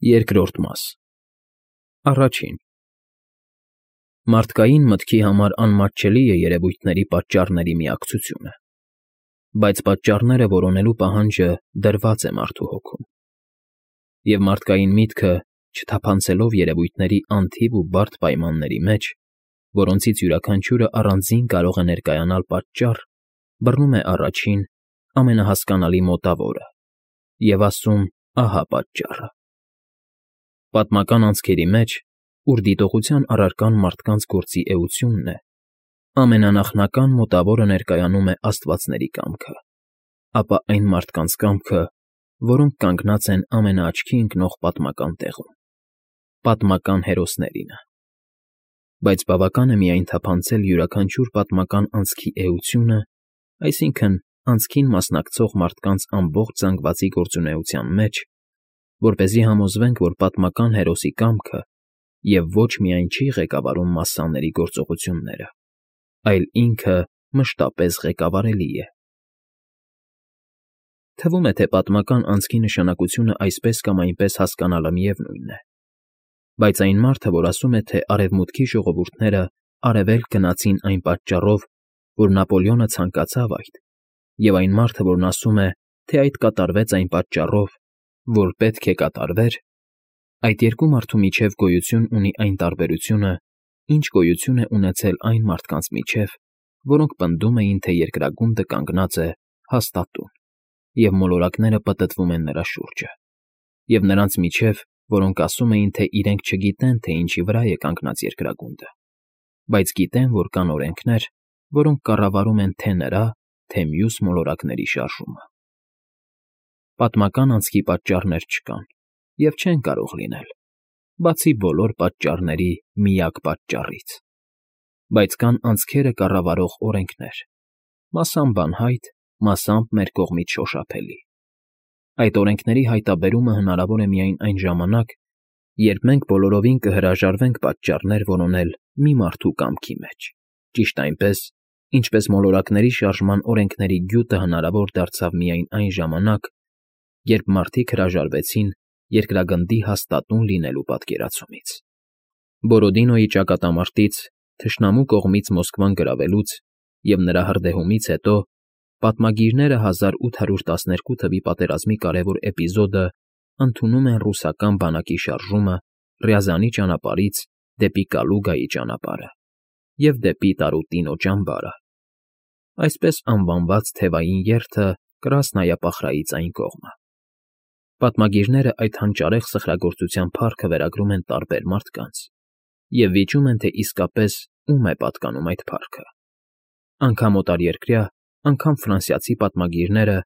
Երկրորդ մաս Առաջին Մարդկային մտքի համար անմատչելի է երևույթների պատճառների միակցությունը, բայց պատճառները որոնելու պահանջը դրված է մարդու հոգում, և մարդկային միտքը, չթափանցելով երևույթների անթիվ ու բարդ պայմանների մեջ, որոնցից յուրաքանչյուրը առանձին կարող է ներկայանալ պատճառ, բռնում է առաջին, ամենահասկանալի մոտավորը և ասում. «Ահա պատճառը»։ Պատմական անցքերի մեջ, ուր դիտողության առարկան մարդկանց գործի էությունն է, ամենանախնական մոտավորը ներկայանում է աստվածների կամքը, ապա այն մարդկանց կամքը, որոնք կանգնած են ամենաաչքի ընկնող պատմական տեղում, պատմական հերոսներինը։ Բայց բավական է միայն թափանցել յուրաքանչյուր պատմական անցքի էությունը, այսինքն՝ անցքին մասնակցող մարդկանց ամբողջ զանգվածի գործունեության մեջ, որպեսզի համոզվենք, որ պատմական հերոսի կամքը և ոչ միայն չի ղեկավարում մասսաների գործողությունները, այլ ինքը մշտապես ղեկավարելի է։ Թվում է, թե պատմական անցքի նշանակությունը այսպես կամ այնպես հասկանալը միևնույն է, բայց այն մարդը, որ ասում է, թե Արևմուտքի ժողովուրդները Արևելք գնացին այն պատճառով, որ Նապոլեոնը ցանկացավ այդ, և այն մարդը, որն ասում է, թե այդ կատարվեց այն պատճառով, որ պետք է կատարվեր, այդ երկու մարդու միջև գոյություն ունի այն տարբերությունը, ինչ գոյություն է ունեցել այն մարդկանց միջև, որոնք պնդում էին, թե երկրագունդը կանգնած է հաստատուն, և մոլորակները պտտվում են նրա շուրջը, և նրանց միջև, որոնք ասում էին, թե իրենք չգիտեն, թե ինչի վրա է կանգնած երկրագունդը, բայց գիտեն, որ կան օրենքներ, որոնք կառավարում են թե նրա, թե մյուս մոլորակների շարժումը։ Պատմական անցքի պատճառներ չկան և չեն կարող լինել, բացի բոլոր պատճառների միակ պատճառից, բայց կան անցքերը կառավարող օրենքներ, մասամբ անհայտ, մասամբ մեր կողմից շոշափելի։ Այդ օրենքների հայտնաբերումը հնարավոր է միայն այն ժամանակ, երբ մենք բոլորովին կհրաժարվենք պատճառներ որոնել մի մարդու կամքի մեջ, ճիշտ այնպես, ինչպես մոլորակների շարժման օրենքների գյուտը հնարավոր դարձավ միայն այն ժամանակ, երբ մարդիկ հրաժարվեցին երկրագնդի հաստատուն լինելու պատկերացումից։ Բորոդինոյի ճակատամարտից, թշնամու կողմից Մոսկվան գրավելուց և նրա հրդեհումից հետո պատմագիրները 1812 թվականի պատերազմի կարևոր էպիզոդը ընդունում են ռուսական բանակի շարժումը Ռյազանի ճանապարհից դեպի Կալուգայի ճանապարհը և դեպի Տարուտինո ճամբարը, այսպես անվանված թևային երթը Կրասնայապախրայից այն կողմը։ Պատմագիրները այդ հանճարեղ սխրագործության փառքը վերագրում են տարբեր մարդկանց և վիճում են, թե իսկապես ում է պատկանում այդ փառքը։ Անգամ օտարերկրյա, անգամ ֆրանսիացի պատմագիրները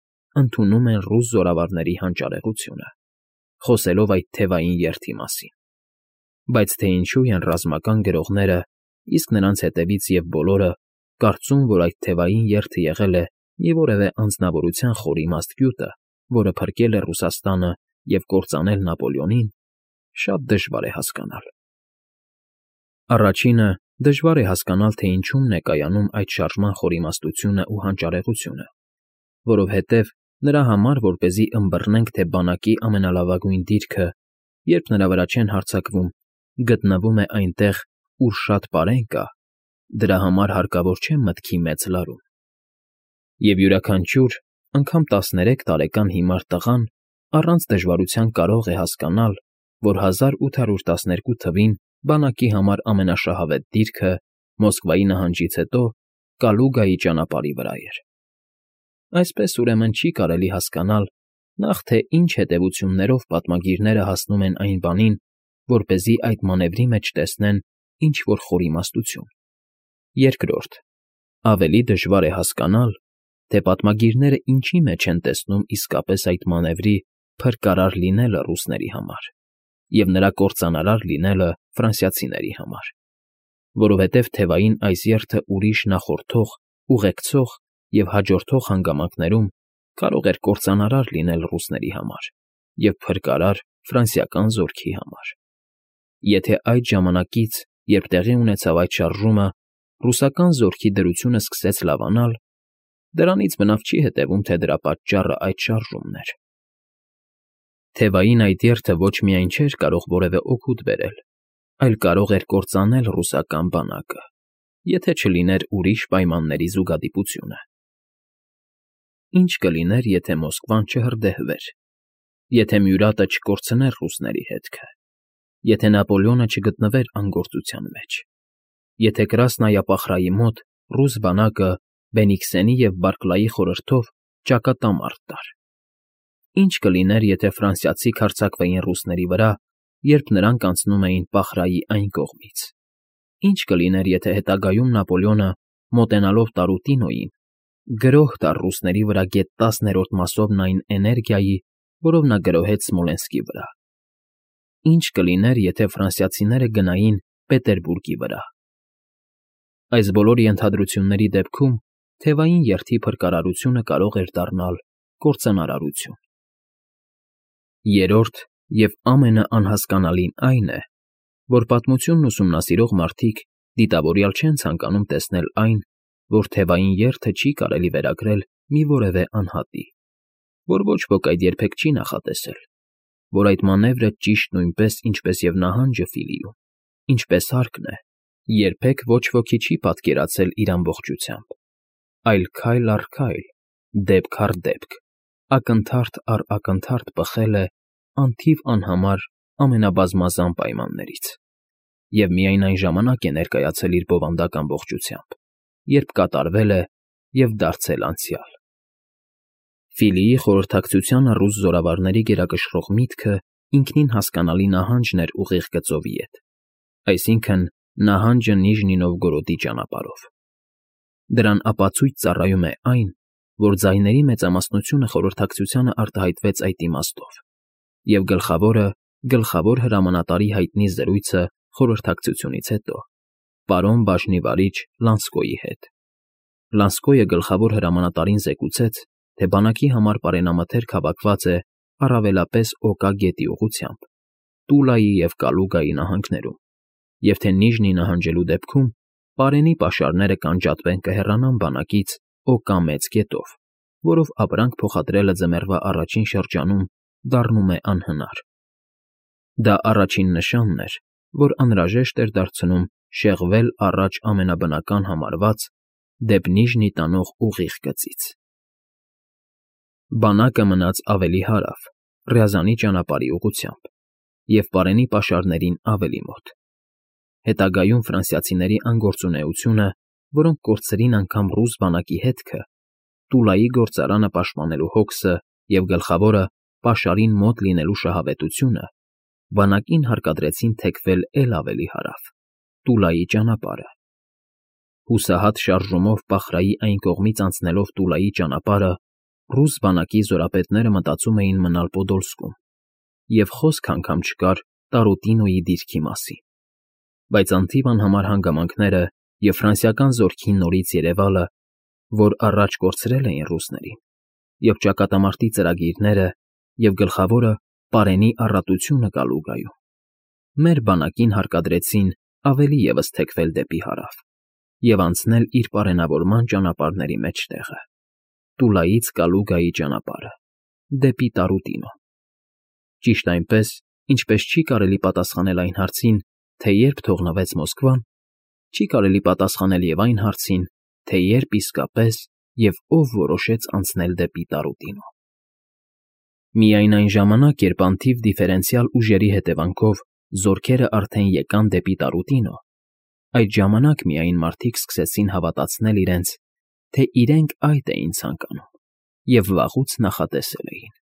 ընդունում են ռուս զորավարների հանճարեղությունը, խոսելով այդ թևային երթի մասին։ Բայց թե ինչու են ռազմական գրողները, իսկ նրանց հետևից և բոլորը, կարծում, որ այդ թևային երթը եղել է մի որևէ անձնավորության խորիմաստ գյուտը, որը փրկել է Ռուսաստանը և կործանել Նապոլեոնին, շատ դժվար է հասկանալ։ Առաջինը, դժվար է հասկանալ, թե ինչումն է կայանում այդ շարժման խորիմաստությունն ու հանճարեղությունը, որովհետև նրա համար, որպեսզի ըմբռնենք, թե բանակի ամենալավագույն դիրքը, երբ նրա վրա չեն հարձակվում, գտնվում է այնտեղ, ուր շատ պարեն կա, դրա համար հարկավոր չէ մտքի մեծ լարում։ Եվ յուրաքանչյուր, անգամ 13 տարեկան հիմար տղան առանց դժվարության կարող է հասկանալ, որ 1812 թվին բանակի համար ամենաշահավետ դիրքը Մոսկվայի նահանջից հետո Կալուգայի ճանապարհի վրա էր։ Այսպես, ուրեմն, չի կարելի հասկանալ նախ թե ինչ հետևություններով պատմագիրները հասնում են այն բանին, որպեսզի այդ մանևրի մեջ տեսնեն ինչ֊որ խորիմաստություն։ Երկրորդ, ավելի դժվար է հասկանալ, թե պատմագիրները ինչի մեջ են տեսնում իսկապես այդ մանևրի փրկարար լինելը ռուսների համար և նրա կործանարար լինելը ֆրանսիացիների համար, որովհետև թևային այս երթը ուրիշ նախորդող, ուղեկցող և հաջորդող հանգամանքներում կարող էր կործանարար լինել ռուսների համար և փրկարար ֆրանսիական զորքի համար։ Եթե այդ ժամանակից, երբ տեղի ունեցավ այդ շարժումը, ռուսական զորքի դրությունը սկսեց լավանալ, դրանից բնավ չի հետևում, թե դրա պատճառը այդ շարժումն էր։ Թևային այդ երթը ոչ միայն չէր կարող որևէ օգուտ բերել, այլ կարող էր կործանել ռուսական բանակը, եթե չլիներ ուրիշ պայմանների զուգադիպությունը։ Ինչ կլիներ, եթե Մոսկվան չհրդեհվեր, եթե Մյուրատը չկորցներ ռուսների հետքը, եթե Նապոլեոնը չգտնվեր անգործության մեջ, եթե Կրասնայապախրայի մոտ ռուս բանակը Բենիքսենի և Բարքլայի խորհրդով ճակատամարտ տար։ Ինչ կլիներ, եթե ֆրանսիացիք հարձակվեին ռուսների վրա, երբ նրանք անցնում էին Պախրայի այն կողմից։ Ինչ կլիներ, եթե հետագայում Նապոլեոնը, մոտենալով Տարուտինոյին, գրոհ տար ռուսների վրա գեթ 10-րդ մասով այն էներգիայի, որով նա գրոհեց Սմոլենսկի վրա։ Ինչ կլիներ, եթե ֆրանսիացիները գնային Պետերբուրգի վրա։ Այս բոլոր ենթադրությունների դեպքում թևային երթի փրկարարությունը կարող էր դառնալ կործանարարություն։ Երրորդ և ամենաանհասկանալին այն է, որ պատմությունն ուսումնասիրող մարդիկ դիտավորյալ չեն ցանկանում տեսնել այն, որ թևային երթը չի կարելի վերագրել մի որևէ անհատի, որ ոչ ոք այդ երբեք չի նախատեսել, որ այդ մանևրը ճիշտ նույնպես, ինչպես և նահանջը Ֆիլիում, ինչպես հարկն է, երբեք ոչ ոքի չի պատկերացել իր ամբողջությամբ, այլ քայլ առ քայլ, դեպք առ դեպք, ակնթարթ առ ակնթարթ պխել է անթիվ անհամար ամենաբազմազան պայմաններից, և միայն այն ժամանակ է ներկայացել իր բովանդակ ամբողջությամբ, երբ կատարվել է և դարձել անցյալ։ Ֆիլիի խորհրդակցությանը ռուս զորավարների գերակշռող միտքը ինքնին հասկանալի նահանջն էր ուղիղ գծովի հետ, այսինքն՝ նահանջը Նիժնի Նովգորոդի ճանապարհով։ Դրան ապացույց ծառայում է այն, որ ձայների մեծամասնությունը խորհրդակցությանը արտահայտվեց այդ իմաստով, և գլխավոր հրամանատարի հայտնի զրույցը խորհրդակցությունից հետո, պարոն բաժնի վարիչ Լանսկոյի հետ։ Լանսկոյը գլխավոր հրամանատարին զեկուցեց, թե բանակի համար պարենամթերք հավաքված է առավելապես Օկա գետի ուղղությամբ, Տուլայի և Կալուգայի նահանգներում, և թե Նիժնի նահանջելու դեպքում պարենի պաշարները կանջատվեն կհեռանան բանակից Օկա մեծ գետով, որով ապրանք փոխադրելը ձմեռվա առաջին շրջանում դառնում է անհնար։ Դա առաջին նշանն էր, որ անհրաժեշտ էր դարձնում շեղվել առաջ ամենաբնական համարված դեպի Նիժնի տանող ուղիղ գծից։ Բանակը մնաց ավելի հարավ, Ռյազանի ճանապարհի ուղղությամբ, և պարենի պաշարներին ավելի մոտ։ Հետագայում ֆրանսիացիների անգործունեությունը, որոնք կորցրին անգամ ռուս բանակի հետքը, Տուլայի գործարանը պաշտպանելու հոգսը և գլխավորը պաշարին մոտ լինելու շահավետությունը բանակին հարկադրեցին թեքվել էլ ավելի հարավ, Տուլայի ճանապարհը։ Հուսահատ շարժումով Պախրայի այն կողմից անցնելով Տուլայի ճանապարհը, ռուս բանակի զորապետները մտածում էին մնալ Պոդոլսկում, և խոսք անգամ չկար Տարուտինոյի դիրքի մասին։ Բայց անթիվ անհամար հանգամանքները և ֆրանսիական զորքի նորից երևալը, որ առաջ կորցրել էին ռուսներին, և ճակատամարտի ծրագիրները, և գլխավորը պարենի առատությունը Կալուգայում, մեր բանակին հարկադրեցին ավելի ևս թեքվել դեպի հարավ և անցնել իր պարենավորման ճանապարհների մեջտեղը, Տուլայից Կալուգայի ճանապարհը, դեպի Տարուտինո։ Ճիշտ այնպես, ինչպես չի կարելի պատասխանել այն հարցին, թե երբ թողնվեց Մոսկվան, չի կարելի պատասխանել և այն հարցին, թե երբ իսկապես և ով որոշեց անցնել դեպի Տարուտինո։ Միայն այն ժամանակ, երբ անթիվ դիֆերենցիալ ուժերի հետևանքով զորքերը արդեն եկան դեպի Տարուտինո, այդ ժամանակ միայն մարդիկ սկսեցին հավատացնել իրենց, թե իրենք այդ էին ցանկանում և վաղուց նախատեսել էին։